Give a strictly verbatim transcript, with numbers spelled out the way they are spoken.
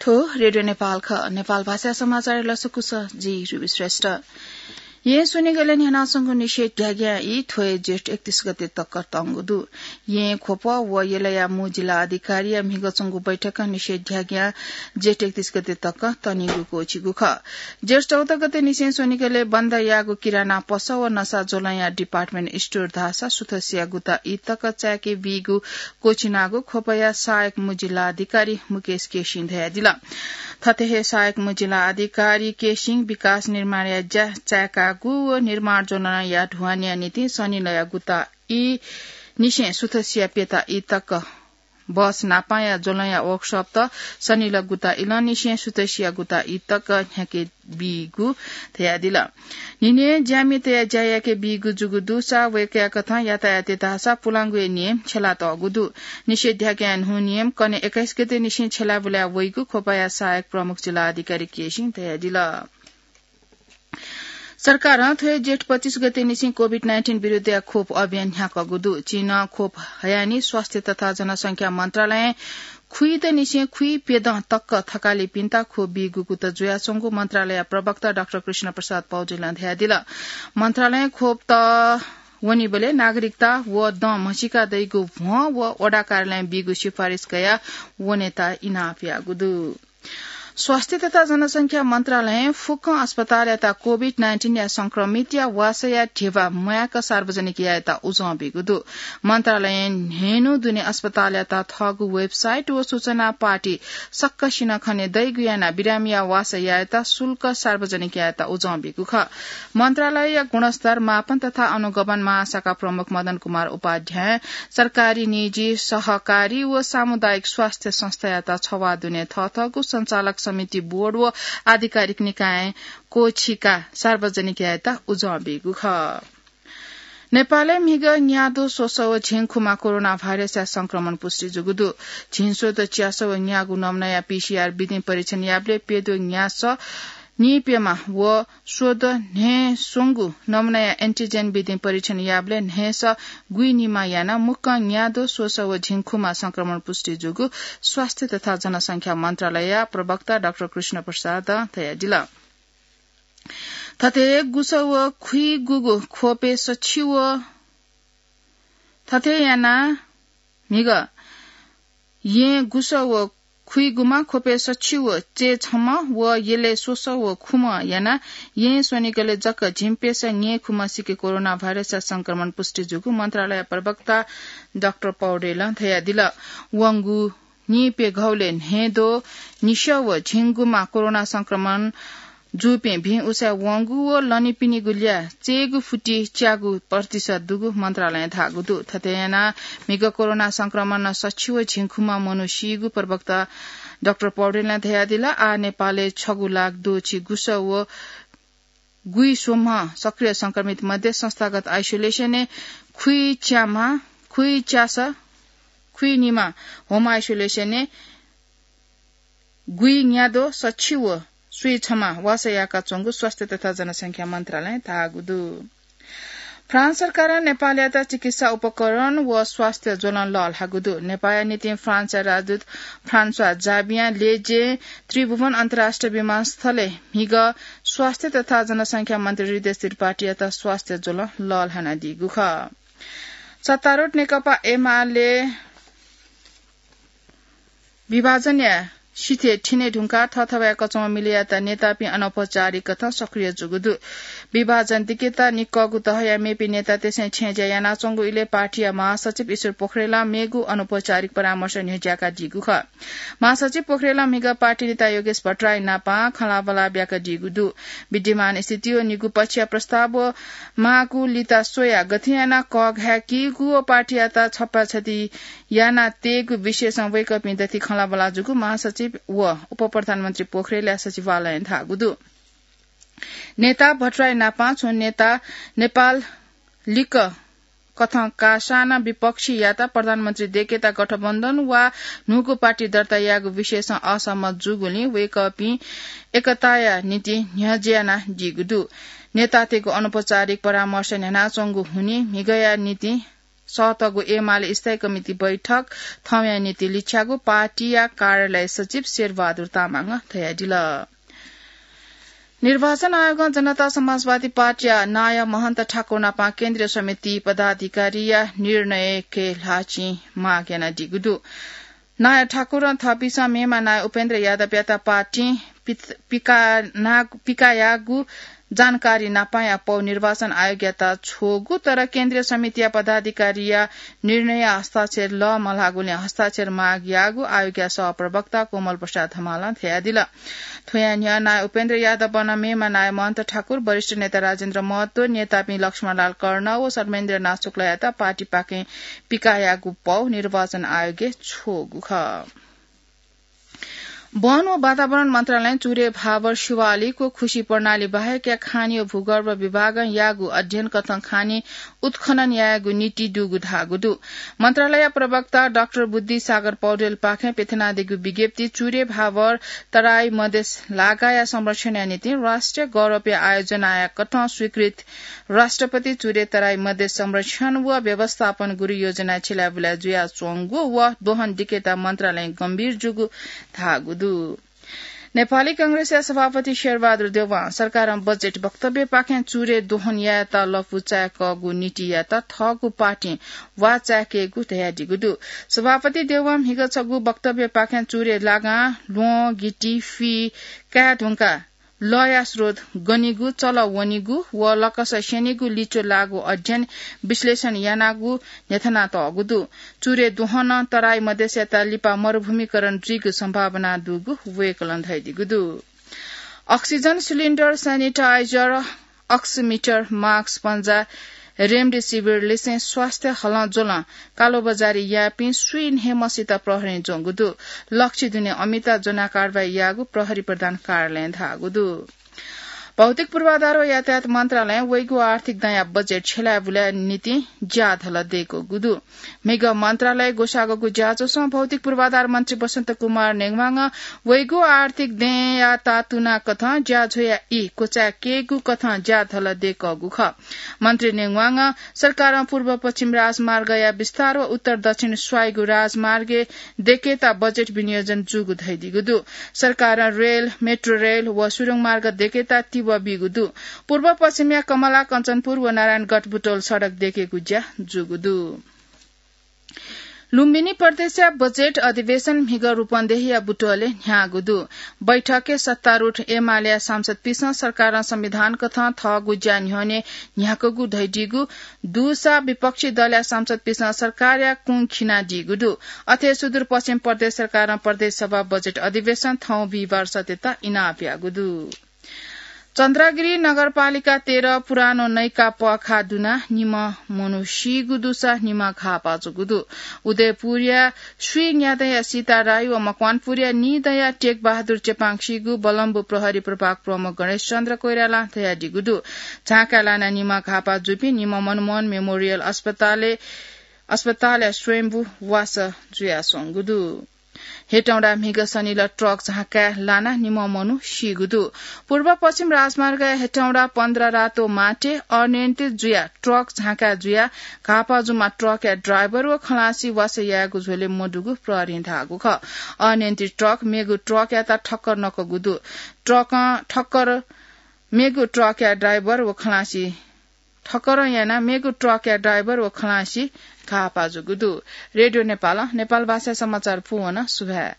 थ्व रेडियो नेपाल खः। नेपाल भाषा समाचार लसकुस जि रुबी श्रेष्ठ। येँ स्वनिगलय् न्ह्यानाच्वंगु निषेधाज्ञा ई थ्व हे जेठ एकतीस गते तक तंगु दु। येँ ख्वप व यलया मू जिल्ला अधिकारीया म्हिगः च्वंगु बैठकं निषेधाज्ञा जेठ एकतीस गते तक तनीगु क्वःछिगु खः। जेठ चौध गते निसें स्वनिगलय् बन्द याःगु किराना पसः व नसा ज्वलंया department store धाःसा सुथसिया गुता ई तक चाय्‌के बीगु क्वःछिनागु ख्वपया सहायक मू जिल्ला अधिकारी मुकेश केसिं धयादिल। थथे हे सहायक मू जिल्ला अधिकारी केसिं विकास निर्माणया ज्या चाय्‌कागु व निर्माण ज्वलंया ढुवानीया निंतिं सनिलया गुता ई निसें सुथसिया प्यता ई तक बस नापांया ज्वलंया workshop त सनिल गुता इलंनिसें सुथसिया गुता ई तक न्ह्याके बीगु धयादिल। न्हिनय् ज्यामितया ज्या याके बीगु जूगु दुसा वय्‌कःया कथं यातायातय् धाःसा पुलांगुया नियम छ्यलातःगु दु। निषेधाज्ञा न्हू नियम कन्हय् एक्काइस गते निसें छ्यलाबुलाय् वइगु ख्वपया सहायक प्रमुख जिल्ला अधिकारी केसिं धयादिल। सरकारं थ्व हे जेठ पच्चिस गते निसें COVID nineteen विरुद्धया खोप अभियान न्ह्याकःगु दु। चीनं खोप हयानि स्वास्थ्य तथा जनसंख्या मन्त्रालयं खुइत निसें खुइप्यदँ तक थकालिपिन्त खोप बीगु कुतः जुयाच्वंगु मन्त्रालय प्रवक्ता डाक्टर कृष्ण प्रसाद पौडेलं धयादिल। मन्त्रालयं खोप त वनीबलय् नागरिकता व दँ म्हसीका दइगु भ्वं व वडा कार्यालयं बीगु सिफारिस कयाः वनेत इनाप याःगु दु। स्वास्थ्य तथा जनसंख्या मन्त्रालयं फुक्कं अस्पतालयात COVID nineteen या संक्रमितया वासःया ध्यबा म्वाय्‌क सार्वजनिक यायेत उजं बीगु दु। मन्त्रालयं न्हय्‌न्हु दुने अस्पतालयात थःगु website व सूचना पाटी सकसिनं खने दइगु यानाः बिरामीया वासः यायेत शुल्क सार्वजनिक यायेत उजं बीगु खः। मन्त्रालयया गुणस्तर मापन तथा अनुगमन महाशाखा प्रमुख मदन कुमार उपाध्यायं सरकारी, निजी, सहकारी व सामुदायिक स्वास्थ्य संस्थायात छवाः दुने थःथःगु सञ्चालक समिति, बोर्ड व आधिकारिक निकायं क्वःछिकाः सार्वजनिक यायेत उजं बीगु खः। नेपालय् म्हिगः न्याद्वः स्वसः व झिंखुमा कोरोना भाइरसया संक्रमण पुष्टि जूगु दु। झिंस्वदँ च्यासः व न्यागू नमुनाया PCR विधिं परीक्षण याःबलय् प्यद्वः न्यासः नीप्यम्ह व स्वदँ न्हय्‌स्वंगू नमुनाया antigen विधिं परीक्षण याःबलय् न्हय्‌सः गुइनिम्ह यानाः मुक्कं न्याद्वः स्वसः व झिंखुमा संक्रमण पुष्टि जूगु स्वास्थ्य तथा जनसंख्या मन्त्रालयया प्रवक्ता डाक्टर कृष्ण प्रसादं धयादिल। थथे गुसः व खुइगूगु ख्वपय् सछि व थथे यानाः म्हिगः येँ गुसः व खुइगूम्ह, ख्वपय् सछि व चय्‌छम्ह व यलय् स्वसः व खुम्ह यानाः येँ स्वनिगलय् जक झिंप्यसः न्यय्‌खुम्ह सिके कोरोना भाइरसया संक्रमण पुष्टि जूगु मन्त्रालय प्रवक्ता डाक्टर पौडेलं धयादिल। वंगु नीप्यघौलय् न्हय्‌द्वः निसः व झिंगूम्ह कोरोना संक्रमण जूपिं भिं उसाँय् वंगु व लनीपिनिगु ल्याः चय्‌गू फुति च्यागू प्रतिशत दुगु मन्त्रालयं धाःगु दु। थथे यानाः म्हिगः कोरोना संक्रमणं सछि व झिंखुम्ह मनू सीगु प्रवक्ता डाक्टर पौडेलं धयादिल। आः नेपालय् छगू लाख द्वःछि गुसः व गुइस्वम्ह सक्रिय संक्रमित मध्ये संस्थागत isolation-य् खुइच्याम्ह, खुइच्यासः, खुइनिम्ह home isolation-य् गुइन्याद्वः सछि व स्वीछम्ह वासः याकाच्वंगु स्वास्थ्य तथा जनसंख्या मन्त्रालयं धाःगु दु। फ्रान्स सरकारं नेपालयात चिकित्सा उपकरण व स्वास्थ्य ज्वलं लःल्हाःगु दु। नेपाःया निंतिं फ्रान्सया राजदूत फ्रान्सवा जाबियां लेजें त्रिभुवन अन्तर्राष्ट्रिय विमानस्थलय् म्हिगः स्वास्थ्य तथा जनसंख्या मन्त्री हृदय त्रिपाठीयात स्वास्थ्य ज्वलं लःल्हानादीगु खः। सत्तारूढ नेकपा एमाले विभाजनया सिथय् थिने धुंकाः थःथःया कचंम्ह मिले यात नेतापिं अनौपचारिक कथं सक्रिय जूगु दु। विभाजन दिकेत निक्वःगु तहया मेपिं नेतातय्‌सं छेँज्या यानाच्वंगु इलय् पार्टीया महासचिव ईश्वर पोखरेलं मेगु अनौपचारिक परामर्श न्ह्यज्याकादीगु खः। महासचिव पोखरेलं म्हिगः पार्टी नेता योगेश भट्टराई नापं खँल्हाबल्हा ब्याकादीगु दु। विद्यमान स्थिति व निगू पक्षया प्रस्ताव व माःगु लिता स्वयाः गथे यानाः कःघाय्‌कीगु व पार्टीयात छप्पाछति याना तयेगु विषयसं वय्‌कःपिं दथुइ खँल्हाबल्हा जूगु महासचिव व उपप्रधानमन्त्री पोखरेलया सचिवालयं धाःगु दु। नेता भट्टराई नापं छुं नेता नेपाल लिक्क कथं काःसां नं विपक्षीयात प्रधानमन्त्री दय्‌केत गठबन्धन वा न्हूगु पार्टी दर्ता यायेगु विषयसं असहमत जूगुलिं वय्‌कःपिं एकताया निंतिं न्ह्यज्या यानादीगु दु। नेतातय्‌गु अनौपचारिक परामर्श न्ह्यानाच्वंगु हुनिं म्हिगःया निंतिं सतःगु एमाले स्थायी कमिटी बैठक थौंया निंतिं लिछ्याःगु पार्टीया कार्यालय सचिव शेरबहादुर तामाङं धयादिल। निर्वाचन आयोगं जनता समाजवादी पार्टीया नायः महन्त ठाकुर नापं केन्द्रीय समिति पदाधिकारीया निर्णयके ल्हाःचिं माग यानादीगु दु। नायः ठाकुरं थःपिसं मेम्ह नायः उपेन्द्र यादवयात पार्टीं पित-, पिकाना-, पिकायागु जानकारी नापंया पौ निर्वाचन आयोगयात छ्वःगु, तर केन्द्रीय समितिया पदाधिकारीया निर्णयय् हस्ताक्षर लः मल्हाःगुलिं हस्ताक्षर माग याःगु आयोगया सहप्रवक्ता कोमल प्रसाद हमालं धयादिल। थ्वया न्ह्यः नायः उपेन्द्र यादवं मेम्ह नायः महन्त ठाकुर, वरिष्ठ नेता राजेन्द्र महतो, नेतापिं लक्ष्मणलाल कर्ण व सर्वेन्द्रनाथ शुक्लयात पार्टीपाखें पिकायाःगु पौ निर्वाचन आयोगय् छ्वःगु खः। वन व वातावरण मन्त्रालयं चुरे, भावर, शिवालिक व खुसी प्रणाली बाहेकया खानी व भूगर्भ विभागं याःगु अध्ययन कथं खानी उत्खनन यायेगु नीति दुगु धाःगु दु। मन्त्रालय प्रवक्ता डाक्टर बुद्धि सागर पौडेलपाखें प्यथनादीगु विज्ञप्ति चुरे, भावर, तराई, मधेस लागाया संरक्षणया निंतिं राष्ट्रिय गौरवया आयोजनाया कथं स्वीकृत राष्ट्रपति चुरे तराई मधेस संरक्षण व व्यवस्थापन गुरु योजना छिलाबुला जुयाच्वंगु व दोहन दिकेत मन्त्रालय गम्भीर जूगु धाःगु दु। नेपाली कांग्रेसया सभापति शेरबहादुर देउवां सरकारं बजेट वक्तव्यपाखें चुरे दोहन यायेत लँपु चाय्‌कःगु नीतियात थःगु पार्टीं वाः चाय्‌केगु धयादीगु दु। सभापति देउवां म्हिगः छगू वक्तव्यपाखें चुरे लागां ल्वहं, गिटी, फि काये धुंकाः लःया स्रोत गनिगु, चल वनिगु व लकस स्यनीगु लिच्वः लाःगु अध्ययन विश्लेषण यानागु न्ह्यथनातःगु दु। चुरे दोहनं तराई मधेसयात लिपा मरुभूमिकरण जुइगु सम्भावना दुगु वय्‌कलं धयादीगु दु। Oxygen cylinder, sanitiser, oximeter, mask, पन्जा, रेमडेसिभिर लिसें स्वास्थ्य हलं ज्वलं कालोबजारी याःपिं स्वीन्हय्‌म्हसित प्रहरीं ज्वंगु दु। लक्ष्य दुने अमिता ज्वनाः कारवाही याःगु प्रहरी प्रधान कार्यालयं धाःगु दु। भौतिक पूर्वाधार व यातायात मन्त्रालयं वइगु आर्थिक दँया बजेट छ्यलाबुलाया निंतिं ज्याझ्वलय् दय्‌कूगु दु। म्हिगः मन्त्रालय ग्वसाःगु ज्याझ्वलय् भौतिक पूर्वाधार मन्त्री बसन्त कुमार नेवांगं वइगु आर्थिक दँयात तुनाकथं ज्याझ्वःया ई क्वचाय्‌केगु कथं ज्याझ्वलय् दय्‌कूगु खः। मन्त्री नेवांगं सरकारं पूर्व पश्चिम राजमार्गया विस्तार व उत्तर दक्षिण स्वाइगु राजमार्गय् दय्‌केत बजेट विनियोजन जूगु धयादीगु दु। सरकारं रेल, मेट्रो रेल व सुरुङ मार्ग दय्‌केत तिबः बीगु दु। पूर्व पश्चिमया कमला, कञ्चनपुर व नारायणगढ बुटवल सडक दय्‌केगु ज्या जूगु दु। लुम्बिनी प्रदेशया बजेट अधिवेशन म्हिगः रूपन्देहीया बुटवलय् न्ह्याःगु दु। बैठकय् सत्तारूढ एमालेया सांसदपिन्सं सरकारं संविधान कथं थःगु ज्या न्ह्यःने न्ह्याकूगु धयादीगु दुसा विपक्षी दलया सांसदपिन्सं सरकारया कुं खिनादीगु दु। अथे सुदूरपश्चिम प्रदेश सरकारं प्रदेश सभा बजेट अधिवेशन थौं बिहिबार सत्तय्‌त इनाप याःगु दु। चन्द्रागिरी नगरपालिका तेह्र पुरानो नैका पःखाः दुनाः निम्ह मनू सीगु दुसा निम्ह घाःपाः जूगु दु। उदयपुरया स्वीन्यादँया सीता राई व मकवानपुरया नीदँया टेकबहादुर चेपाङ सीगु बलम्बु प्रहरी प्रभाग प्रमुख गणेशचन्द्र कोइरालां धयादीगु दु। झाँकाय् लानाः निम्ह घाःपाः जूपिं निम्ह मनमोहन मेमोरियल अस्पतालय्, अस्पतालया स्वयम्भू वासः जुयाच्वंगु दु। हेटौंडा म्हिगः सनिलय् ट्रक झाँकाय् लानाः निम्ह मनू सीगु दु। पूर्व पश्चिम राजमार्गया हेटौंडा पन्ध्र रातो माटे अनियन्त्रित जुयाः ट्रक झाँकाय् जुयाः घाःपाः जूम्ह ट्रकया ड्राइभर व खलासी वासः यायेगु झ्वलय् मदुगु प्रहरीं धाःगु खः। अनियन्त्रित ट्रक मेगु ट्रकयात ठक्कर नकूगु दु। ट्रकं ठक्कर मेगु ट्रकया ड्राइभर व खलासी ठक्कर यानाः मेगु ट्रकया ड्राइभर व खलासी घाःपाः जूगु दु। रेडियो नेपालं नेपाल भाषाय् समाचार पूवन सुभाय्।